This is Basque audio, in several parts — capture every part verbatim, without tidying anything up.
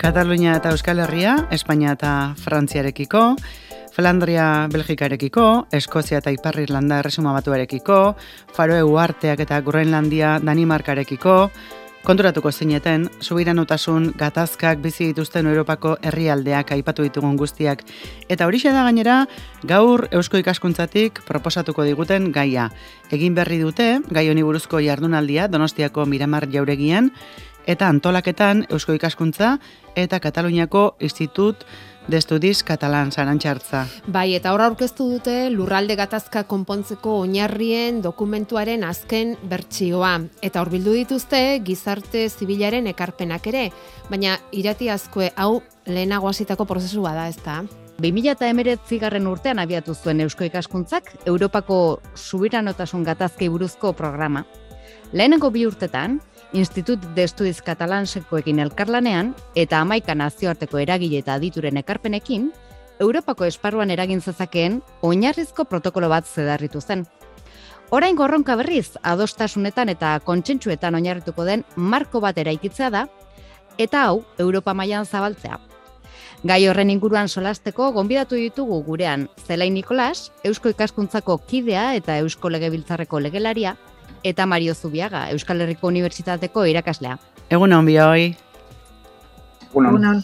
Katalunia eta Euskal Herria, Espainia eta Frantziarekiko, Flandria Belgikarekiko, Eskozia eta Ipar Irlanda Erresuma Batuarekiko, Faroe Uharteak eta Groenlandia Danimarkarekiko, konturatuko zineten, subiranotasun gatazkak bizi dituzten Europako herrialdeak aipatu ditugun guztiak. Eta horixe da gainera, gaur Eusko Ikaskuntzatik proposatuko diguten gaia. Egin berri dute, gai honi buruzko jardunaldia Donostiako Miramar Jauregian, eta antolaketan Eusko Ikaskuntza eta Kataluniako Institut de Estudis Catalans Arantxartza. Bai, eta hor aurkeztu dute lurralde gatazka konpontzeko oinarrien dokumentuaren azken bertsioa. Eta hor bildu dituzte gizarte zibilaren ekarpenak ere, baina irati azkue hau lehenago hasitako prozesua da, ezta? bi mila hemeretzigarren urtean abiatu zuen Eusko Ikaskuntzak Europako subiranotasun gatazkei buruzko programa. Lehenengo bi urtetan, Institut de Estudis Catalansekoekin elkarlanean eta hamaika nazioarteko eragile eta adituren ekarpenekin, Europako esparruan eragin zezakeen oinarrizko protokolo bat zedarritu zen. Orain gorronka berriz, adostasunetan eta kontsentsuetan oinarrituko den marko bat eraikitzea da, eta hau Europa mailan zabaltzea. Gai horren inguruan solasteko gonbidatu ditugu gurean Zelai Nikolas, Eusko Ikaskuntzako kidea eta Eusko Legebiltzarreko legelaria, eta Mario Zubiaga, Euskal Herriko Unibertsitateko irakaslea. Egun hon bihoi. Egunon.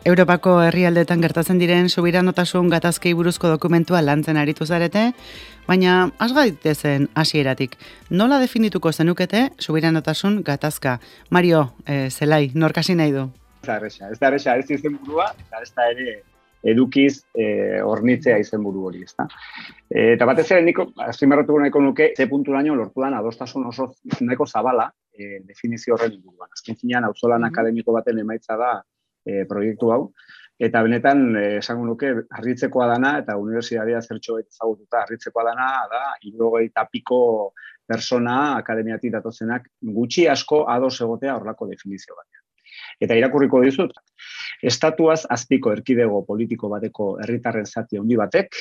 Europako herrialdeetan gertatzen diren subiranotasun gatazkei buruzko dokumentua lantzen aritu zarete, baina has gaitezen hasieratik. Nola definituko zenukete subiranotasun gatazka? Mario, eh, Zelai, nork hasi nahi du? Ez da erresa, ez da erresa, ez izenburua, eta ez da ere edukiz eh, ornitzea izenburu hori, ezta. E, eta batez ere niko, azpimarratuko nahiko nuke, ze punturaino lortu den adostasun oso nahiko zabala e, definizio horren inguruan. Azken finean, auzolan mm-hmm. akademiko baten emaitza da e, proiektu hau, eta benetan, e, esango nuke, harritzekoa dana, eta unibertsitatea zertxo ezagututa, harritzekoa dana, da, hirurogeita piko persona akademiatik datozenak gutxi asko ados egotea horrelako definizio batean. Eta irakurriko dizut, estatuaz azpiko erkidego politiko bateko herritarren zati handi batek,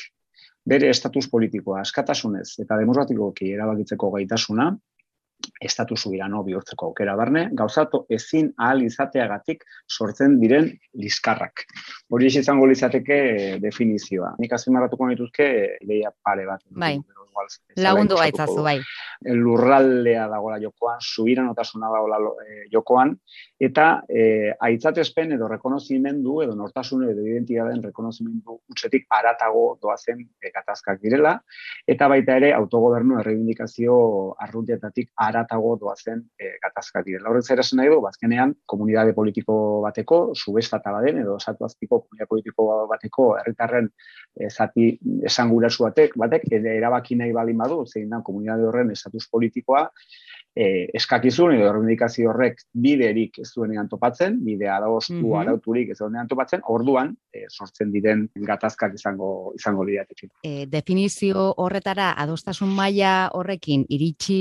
bere estatus politikoa askatasunez eta demokratikoki erabakitzeko gaitasuna, estatus subirano bihurtzeko aukera barne, gauzatu ezin ahal izateagatik sortzen diren liskarrak. Hori izango litzateke definizioa. Nik azpimarratuko dituzke ideia pare bat. Bai, lagundu gaitzazu, bai. Lurraldea dagoela jokoan, subiranotasuna dagoela jokoan, eta e, aitzatespen edo rekonozimendu edo nortasun edo identitateen rekonozimendu utzetik aratago doazen e, gatazkak direla, eta baita ere autogobernu erreibindikazio arruntietatik aratago doazen e, gatazkak direla. Horrez ere esan nahi du, bazkenean, komunitate politiko bateko, subestata baden edo esatu azpiko komunitate politiko bateko herritarren e, zati esangurasu batek, batek ere erabaki nahi baldin badu, zein da komunitate horren estatus politikoa, Eh, eskakizun edo erreibindikazio horrek biderik ez duenean topatzen, bidea adostu mm-hmm. arauturik ez duenean topatzen, orduan eh, sortzen diren gatazkak izango izango lirateke. E, definizio horretara adostasun maila horrekin iritsi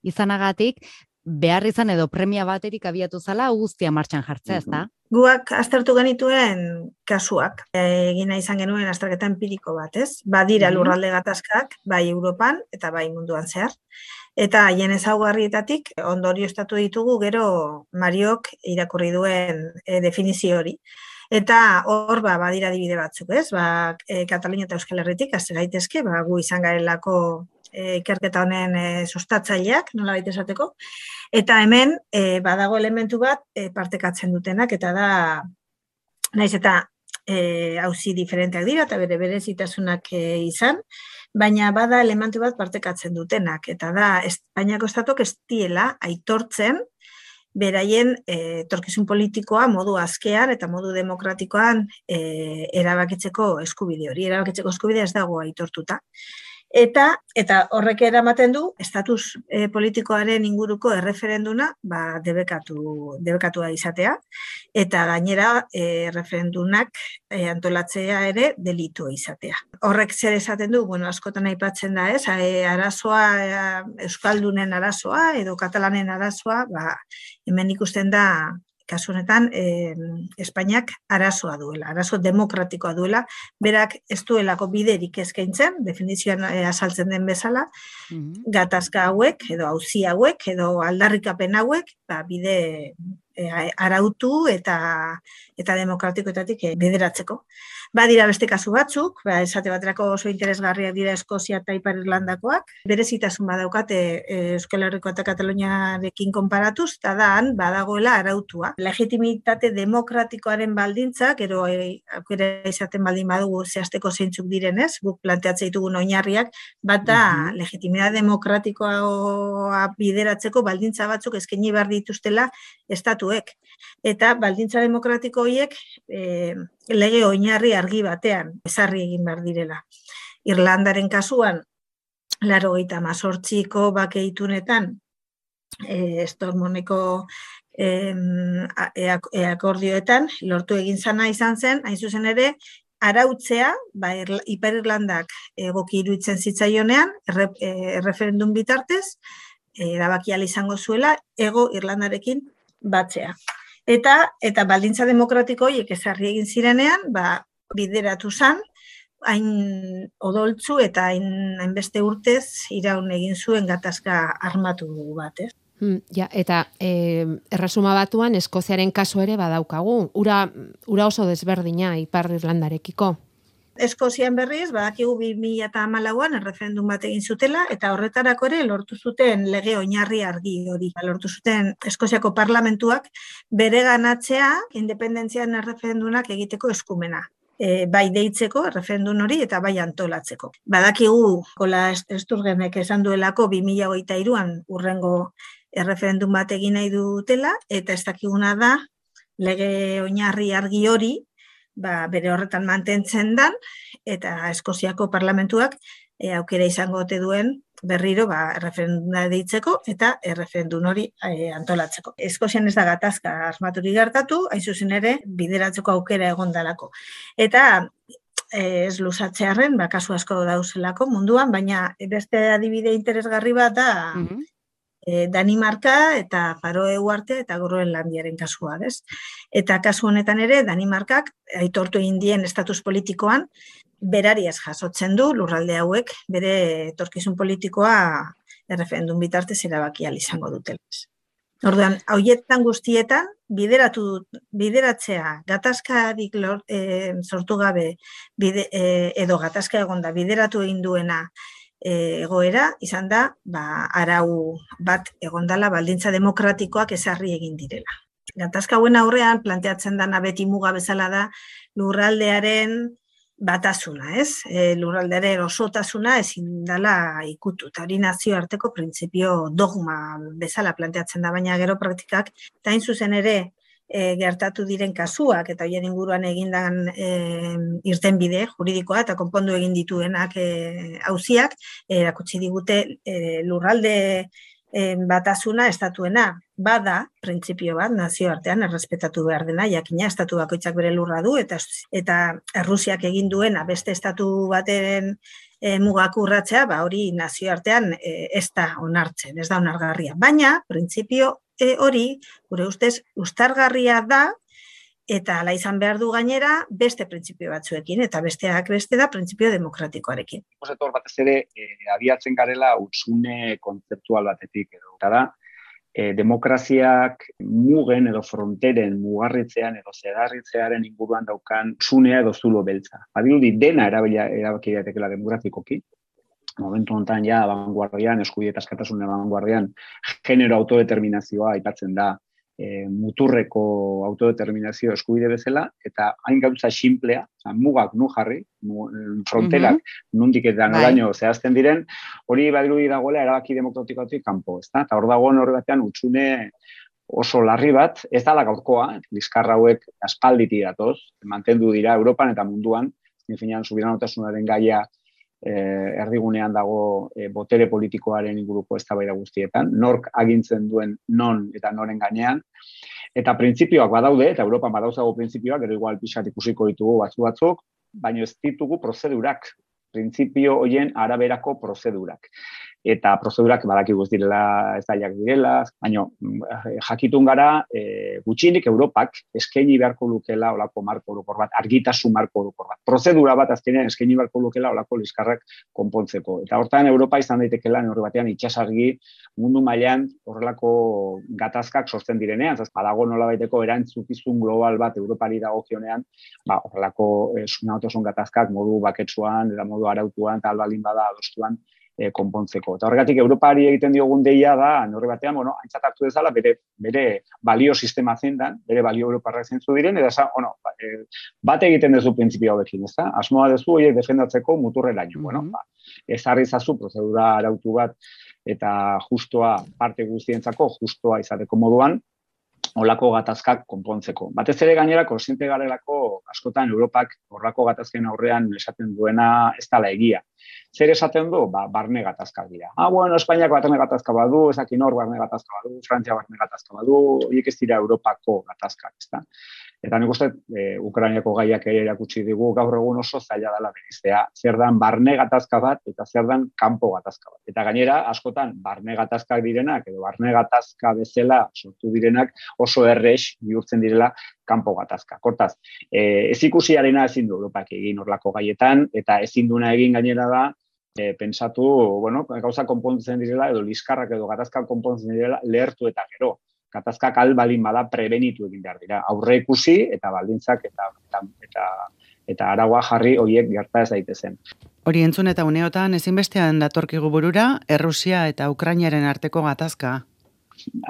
izanagatik, behar izan edo premia baterik abiatu zala guztia martxan jartzea, ez da? Guak aztertu genituen kasuak, egina izan genuen azterketa empiriko bat, ez? Badira lurralde gatazkak, bai Europan eta bai munduan zehar. Eta haien ezaugarrietatik ondorioztatu ditugu gero Mariok irakurri duen e, definizio hori. Eta hor ba, badira adibide batzuk, ez? Ba, e, Katalunia eta Euskal Herritik hasi gaitezke, ba, gu izan garelako e, ikerketa honen e, sustatzaileak, nola baita esateko. Eta hemen e, badago elementu bat e, partekatzen dutenak, eta da, naiz eta e, auzi diferenteak dira, eta bere berezitasunak e, izan, baina bada elementu bat partekatzen dutenak, eta da, Espainiako estatok ez diela aitortzen beraien etorkizun politikoa modu askean eta modu demokratikoan e, erabakitzeko eskubide hori. Erabakitzeko eskubidea ez dago aitortuta. Eta, eta horrek eramaten du, estatus e, politikoaren inguruko erreferenduna ba, debekatu, debekatua izatea, eta gainera e, referendunak e, antolatzea ere delitu izatea. Horrek zer esaten du, bueno, askotan aipatzen da, ez, e, arazoa, e, euskaldunen arazoa edo katalanen arazoa, ba, hemen ikusten da, kasu honetan, eh, Espainiak arazoa duela, arazo demokratikoa duela, berak ez duelako biderik eskaintzen, definizioan eh, azaltzen den bezala, mm-hmm. gatazka hauek, edo auzi hauek, edo aldarrikapen hauek, ba, bide, e, arautu eta eta demokratikoetatik e, bideratzeko. Badira beste kasu batzuk, ba, esate baterako oso interesgarriak dira Eskozia eta Ipar Irlandakoak, berezitasun badaukate e, Euskal Herriko eta Kataluniarekin konparatuz, eta dan badagoela arautua. Legitimitate demokratikoaren baldintza, gero e, aukera izaten baldin badugu zehazteko zeintzuk direnez, guk planteatzen ditugun oinarriak, bat da uh-huh. legitimitate demokratikoa bideratzeko baldintza batzuk eskaini behar dituztela estatuek. Eta baldintza demokratiko horiek e, lege oinarri argi batean ezarri egin behar direla. Irlandaren kasuan, laurogeita hemezortziko bake itunetan, e, Stormoneko e, akordioetan, lortu egin zana izan zen, hain zuzen ere, arautzea, ba, Ipar Irlandak egoki iruditzen zitzaionean, erre, e, referendum bitartez, erabaki ahal izango zuela, ego Irlandarekin batzea. Eta eta baldintza demokratiko horiek ezarri egin zirenean, ba, bideratu zan, hain odoltzu eta hain hainbeste urtez iraun egin zuen gatazka armatu bat, ez? Hmm, ja, eta e, erresuma batuan Eskoziaren kasu ere badaukagu. Ura, ura oso desberdina Ipar Irlandarekiko. Eskozian berriz, badakigu bi mila hamalauan erreferendum bat egin zutela, eta horretarako ere lortu zuten lege oinarri argi hori. Lortu zuten Eskoziako parlamentuak bere ganatzea independentzian erreferendumak egiteko eskumena. E, bai deitzeko erreferendum hori eta bai antolatzeko. Badakigu, Kola Esturgenek esan duelako bi mila hogeita hiruan urrengo erreferendum bat egin nahi dutela, eta ez dakiguna da lege oinarri argi hori, ba, bere horretan mantentzen dan, eta Eskoziako parlamentuak e, aukera izango ote duen berriro ba, erreferenduna deitzeko eta erreferendum hori e, antolatzeko. Eskozian ez da gatazka asmaturik gertatu, hain zuzen ere bideratzeko aukera egondalako. Eta e, ez luzatzearren, ba, kasu asko dauzelako munduan, baina beste adibide interesgarri bat da mm-hmm. E, Danimarka eta Faroe Uhartea eta Groenlandiaren kasua, ez? Eta kasu honetan ere, Danimarkak aitortu egin dien estatus politikoan berariaz jasotzen du lurralde hauek bere etorkizun politikoa erreferendum bitartez erabaki ahal izango dutela. Orduan, haietan guztietan bideratu bideratzea gatazkarik e, sortu gabe bide, e, edo gatazka egonda bideratu egin duena egoera, izan da, ba, arau bat egondala baldintza demokratikoak ezarri egin direla. Gatazka hauen aurrean planteatzen dana beti muga bezala da lurraldearen batasuna, ez? E, lurraldearen osotasuna ezin dela ikutu. Eta hori nazioarteko printzipio dogma bezala planteatzen da, baina gero praktikak, eta hain zuzen ere, E, gertatu diren kasuak eta horien inguruan egindan e, irtenbide juridikoa eta konpondu egin dituenak auziak e, erakutsi digute e, lurralde e, batasuna estatuena bada printzipio bat nazioartean errespetatu behar dena, jakina estatu bakoitzak bere lurra du eta eta Errusiak egin duena beste estatu baten e, mugak urratzea, ba hori nazioartean e, ez da onartzen, ez da onargarria, baina printzipio E, hori, gure ustez, ustargarria da, eta ala izan behar du gainera beste printzipio batzuekin, eta besteak beste da printzipio demokratikoarekin. Etor batez ere, e, abiatzen garela hutsune kontzeptual batetik edo. Eta da, e, demokraziak mugen edo fronteren mugarritzean edo zedarritzearen inguruan daukan hutsunea edo zulo beltza. Badirudi dena erabaki daitekeela demokratikoki. Momentu honetan ja, abanguardian, eskubide eta askatasunen abanguardian, genero autodeterminazioa aipatzen da e, muturreko autodeterminazio eskubide bezala, eta hain gauza xinplea, mugak nu jarri, mu, fronterak mm-hmm. nundik eta noraino zehazten diren, hori badirudi dagoela erabaki demokratikotik kanpo, ezta? Eta hor dagoen horri batean hutsune oso larri bat, ez dala gaurkoa, liskarra hauek aspalditi datoz, mantendu dira Europan eta munduan, finean subiranotasunaren gaia Eh, erdigunean dago eh, botere politikoaren inguruko eztabaida guztietan, nork agintzen duen non eta noren gainean, eta printzipioak badaude, eta Europan badauzago printzipioak, gero igual pixat ikusiko ditugu batzu batzuk, baina ez ditugu prozedurak, printzipio horien araberako prozedurak. eta prozedurak badakigu ez direla ez zailak direla, baina jakitun gara e, gutxinik Europak eskaini beharko lukela olako marko orokor bat, argitasun marko orokor bat. Prozedura bat azkenean eskaini beharko lukela olako liskarrak konpontzeko. Eta hortan Europa izan daitekeela neurri batean itsasargi mundu mailan horrelako gatazkak sortzen direnean, zaz badago nolabaiteko erantzukizun global bat Europari dagokionean, ba horrelako e, sunatosun gatazkak modu baketsuan, eta modu arautuan, eta albaldin bada adostuan E, konpontzeko. Eta horregatik Europari egiten diogun deia da, neurri batean, bueno, aintzat hartu dezala, bere, bere balio sistema zein da, bere balio europarrak zeintzu diren, eta esan, bueno, ba, e, bat egiten dezu printzipio hauekin, ez da? Asmoa dezu horiek defendatzeko muturreraino. Mm-hmm. Bueno, ba, ezarri zazu prozedura arautu bat eta justoa parte guztientzako, justoa izateko moduan, olako gatazkak konpontzeko. Batez ere gainera, kontziente garelako askotan Europak horrako gatazken aurrean esaten duena ez dela egia. Zer esaten du? Ba, barne gatazkak dira. Ah, bueno, Espainiak barne gatazka badu, ezakin hor barne gatazka badu, Frantzia barne gatazka badu, horiek ez dira Europako gatazkak, ezta? Eta nik uste, e, Ukrainiako gaiak ere erakutsi digu gaur egun oso zaila dela beriztea. Zer dan barne gatazka bat eta zer dan kanpo gatazka bat. Eta gainera, askotan, barne gatazkak direnak edo barne gatazka bezala sortu direnak oso errex bihurtzen direla kanpo gatazka. Hortaz, e, ez ikusiarena ezin du Europak egin horlako gaietan, eta ezin duna egin gainera da, e, pentsatu, bueno, gauza konpontzen direla, edo liskarrak edo gatazkak konpontzen direla, lehertu eta gero. Gatazkak albalin bada prebenitu egin behar dira. Aurre ikusi eta baldintzak eta, eta, eta, eta araua jarri horiek gerta ez daitezen. Hori entzun eta uneotan ezinbestean datorkigu burura, Errusia eta Ukrainaren arteko gatazka.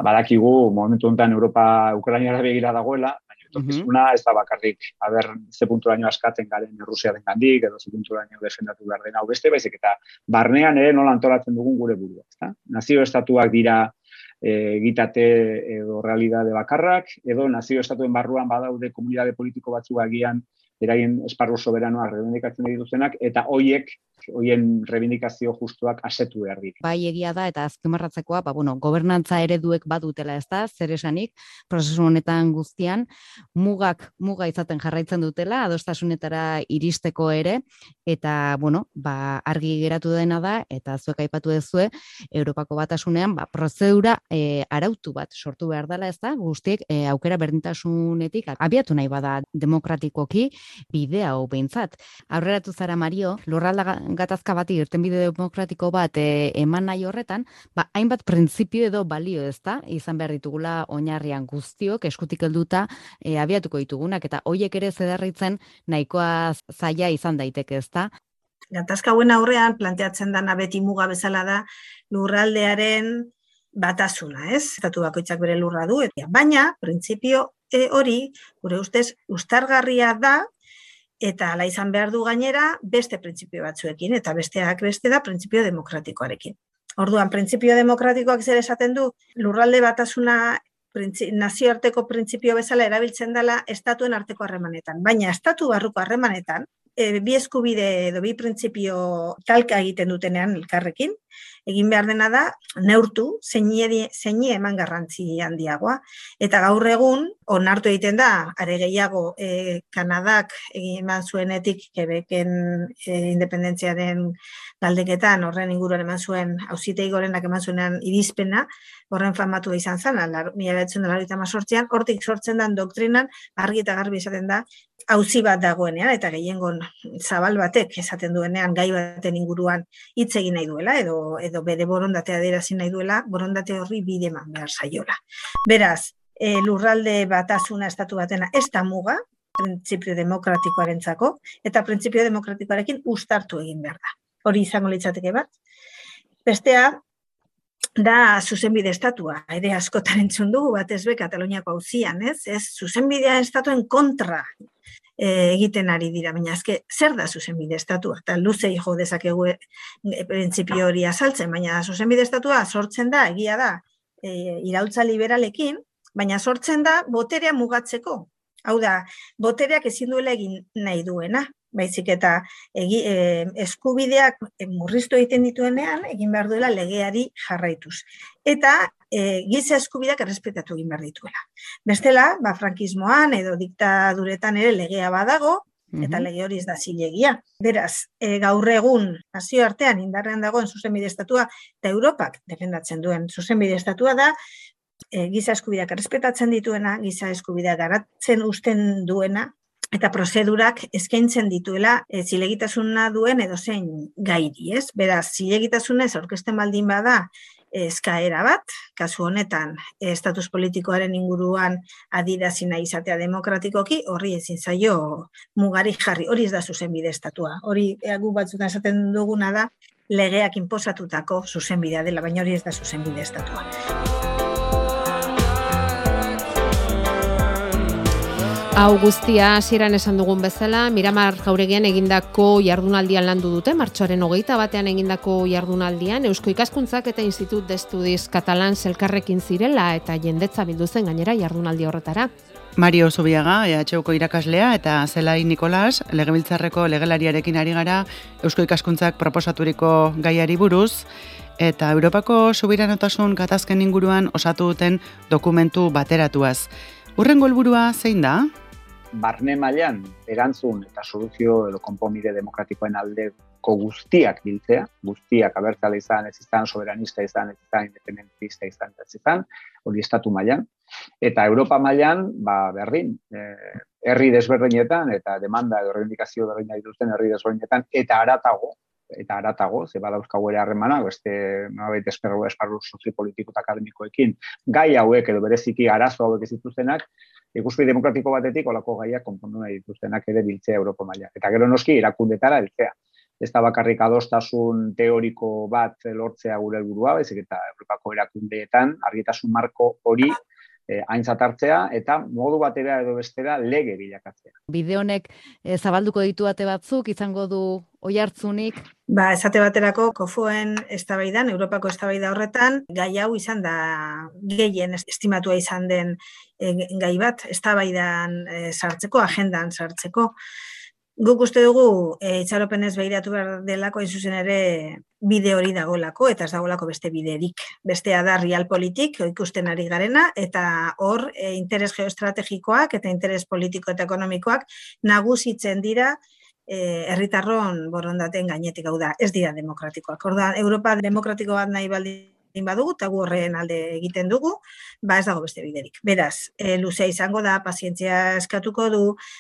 Badakigu momentu honetan Europa Ukrainara begira dagoela, baina etorkizuna ez da bakarrik haber ze punturaino askatzen garen Errusiaren gandik, edo ze punturaino defendatu behar den hau beste, baizik eta barnean ere nola antolatzen dugun gure burua. Ezta? Nazio estatuak dira egitate edo realidade bakarrak, edo nazio estatuen barruan badaude komunitate politiko batzuk agian eraien esparru soberanoak rebindikatzen dituztenak, eta hoiek, hoien rebindikazio justuak asetu behar dit. Bai egia da, eta azpimarratzekoa, ba, bueno, gobernantza ereduek badutela, ez da, zer esanik, prozesu honetan guztian, mugak muga izaten jarraitzen dutela, adostasunetara iristeko ere, eta, bueno, ba, argi geratu dena da, eta zuek aipatu dezue, Europako Batasunean, ba, prozedura e, arautu bat sortu behar dela, ez da, guztiek e, aukera berdintasunetik abiatu nahi bada demokratikoki, bidea hau behintzat. Aurreratu zara, Mario, lurralda gatazka bati irtenbide demokratiko bat e, eman nahi horretan, ba, hainbat printzipio edo balio, ez da, izan behar ditugula oinarrian guztiok, eskutik helduta e, abiatuko ditugunak, eta hoiek ere zedarritzen nahikoa zaila izan daiteke, ez da? Gatazka hauen aurrean planteatzen dana beti muga bezala da lurraldearen batasuna, ez? Estatu bakoitzak bere lurra du, eta baina, printzipio e, hori, gure ustez, ustargarria da, eta ala izan behar du gainera beste printzipio batzuekin, eta besteak beste da printzipio demokratikoarekin. Orduan, printzipio demokratikoak zer esaten du, lurralde batasuna nazioarteko printzipio bezala erabiltzen dela estatuen arteko harremanetan. Baina estatu barruko harremanetan, e, bi eskubide edo bi printzipio talka egiten dutenean elkarrekin, egin behar dena da, neurtu, zeini eman garrantzi handiagoa. Eta gaur egun, onartu egiten da, are gehiago e, Kanadak eman zuenetik Quebecen e, independentziaren galdeketan, horren inguruan eman zuen, auzitegi gorenak eman zuenean irizpena, horren famatu da izan zen, mila bederatziehun eta laurogeita hemezortzian, hortik sortzen den doktrinan, argi eta garbi esaten da, auzi bat dagoenean, eta gehiengon zabal batek esaten duenean, gai baten inguruan hitz egin nahi duela, edo, edo bere borondatea adierazin nahi duela, borondate horri bide eman behar zaiola. Beraz, e, lurralde batasuna estatu batena ez da muga, printzipio demokratikoarentzako, eta printzipio demokratikoarekin uztartu egin behar da. Hori izango litzateke bat. Bestea, da zuzenbide estatua, ere askotan entzun dugu, batez be Kataluniako auzian, ez? Ez zuzenbidea estatuen kontra e, egiten ari dira, baina azke, zer da zuzenbide estatua? Eta luze jo dezakegu e, printzipio hori azaltzen, baina zuzenbide estatua sortzen da, egia da, e, iraultza liberalekin, baina sortzen da boterea mugatzeko. Hau da, botereak ezin duela egin nahi duena, baizik eta egi, e, eskubideak e, murriztu egiten dituenean, egin behar duela legeari jarraituz. Eta e, giza eskubideak errespetatu egin behar dituela. Bestela, ba, frankismoan edo diktaduretan ere legea badago, eta lege hori ez da zilegia. Beraz, e, gaur egun nazioartean indarrean dagoen zuzenbide estatua eta Europak defendatzen duen zuzenbide estatua da e, giza eskubideak errespetatzen dituena, giza eskubideak garatzen uzten duena, eta prozedurak eskaintzen dituela e, zilegitasuna duen edozein gairi, ez? Beraz, zilegitasunez aurkezten baldin bada eskaera bat, kasu honetan estatus politikoaren inguruan adierazi nahi izatea demokratikoki, horri ezin zaio mugari jarri, hori ez da zuzenbide estatua. Hori gu batzutan esaten duguna da legeak inposatutako zuzenbidea dela, baina hori ez da zuzenbide estatua. Hau guztia hasieran esan dugun bezala, Miramar Jauregian egindako jardunaldian landu dute, martxoaren hogeita batean egindako jardunaldian, Eusko Ikaskuntzak eta Institut de Estudis Catalans elkarrekin zirela eta jendetza bildu zen gainera jardunaldi horretara. Mario Zubiaga, E H Uko irakaslea, eta Zelai Nikolas, Legebiltzarreko legelariarekin ari gara Eusko Ikaskuntzak proposaturiko gaiari buruz, eta Europako subiranotasun gatazken inguruan osatu duten dokumentu bateratuaz. Hurrengo helburua zein da? Barne mailan erantzun eta soluzio edo konponbide demokratikoen aldeko guztiak biltzea, guztiak abertzale izan, ez izan, soberanista izan, ez izan, independentista izan, ez izan, hori estatu mailan. Eta Europa mailan, ba, berdin, eh, herri desberdinetan eta demanda edo reivindikazio berdina dituzten herri desberdinetan eta haratago, eta haratago, ze badauzkagu ere harremana, beste nolabait esparru esparru soziopolitiko eta akademikoekin, gai hauek edo bereziki arazo hauek ez dituztenak, ikuspegi demokratiko batetik olako gaiak konpondu nahi dituztenak ere biltzea Europa mailan. Eta gero noski erakundetara heltzea. Ez da bakarrik adostasun teoriko bat lortzea gure helburua, baizik eta Europako erakundeetan argitasun marko hori Eh, aintzat hartzea eta modu batera edo bestera lege bilakatzea. Bide honek eh, zabalduko ditu ate batzuk, izango du oihartzunik? Ba, esate baterako kofoen eztabaidan, Europako eztabaida horretan, gai hau izan da gehien estimatua izan den e, gai bat, eztabaidan e, sartzeko, agendan sartzeko. Guk uste dugu e, itxaropenez behiratu behar delako izuzen ere bide hori dagolako, eta ez dagolako beste biderik. Bestea da realpolitik, ikusten ari garena, eta hor e, interes geoestrategikoak eta interes politiko eta ekonomikoak nagusitzen dira e, herritarron borondateen gainetik, hau da, ez dira demokratikoak. Orda, Europa demokratiko bat nahi baldin badugu, eta gu horren alde egiten dugu, ba ez dago beste biderik. Beraz, e, luzea izango da, pazientzia eskatuko du,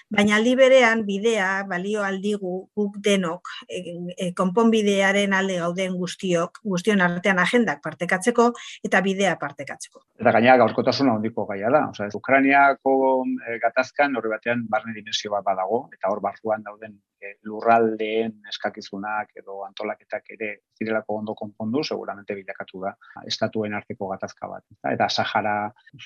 baina aldi berean bidea balio aldigu guk denok, e, e, konponbidearen alde gauden guztiok, guztion artean agendak partekatzeko eta bidea partekatzeko. Eta gainera gaurkotasuna handiko gaia da. Osea, Ukrainiako e, gatazkan horri batean barne dimensio bat badago, eta hor barruan dauden e, lurraldeen eskakizunak edo antolaketak ere zirelako ondo konpondu, seguramente bilakatu da estatuen arteko gatazka bat. Eta Sahara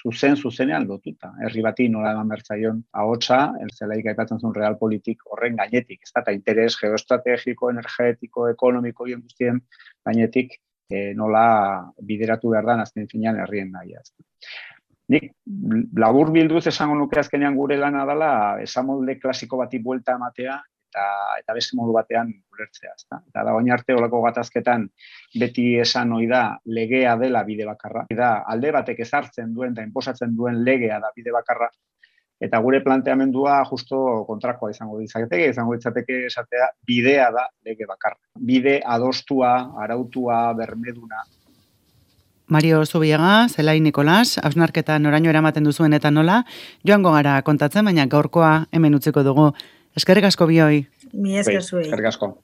zuzen zuzenean lotuta. Herri bati nola eman bertzaion ahotsa, Zelaik aipatzen zuen realpolitik horren gainetik, ez da, eta interes geoestrategiko, energetiko, ekonomiko hien guztien gainetik e, nola bideratu behar da azken finean herrien nahia. Nik labur bilduz esango nuke azkenean gure lana dela esamolde klasiko bati buelta ematea eta eta beste modu batean ulertzea, ezta. Eta da orain arte olako gatazketan beti esan ohi da legea dela bide bakarra. Da alde batek ezartzen duen eta inposatzen duen legea da bide bakarra. Eta gure planteamendua justo kontrakoa izango ditzakete, izango ditzateke esatea bidea da lege bakarra. Bide adostua, arautua, bermeduna. Mario Zubiaga, Zelai Nikolas, hausnarketa noraino eramaten duzuen eta nola, joango gara kontatzen, baina gaurkoa hemen utziko dugu. Eskerrik asko bioi. Mi esker zuei. Eskerrik asko.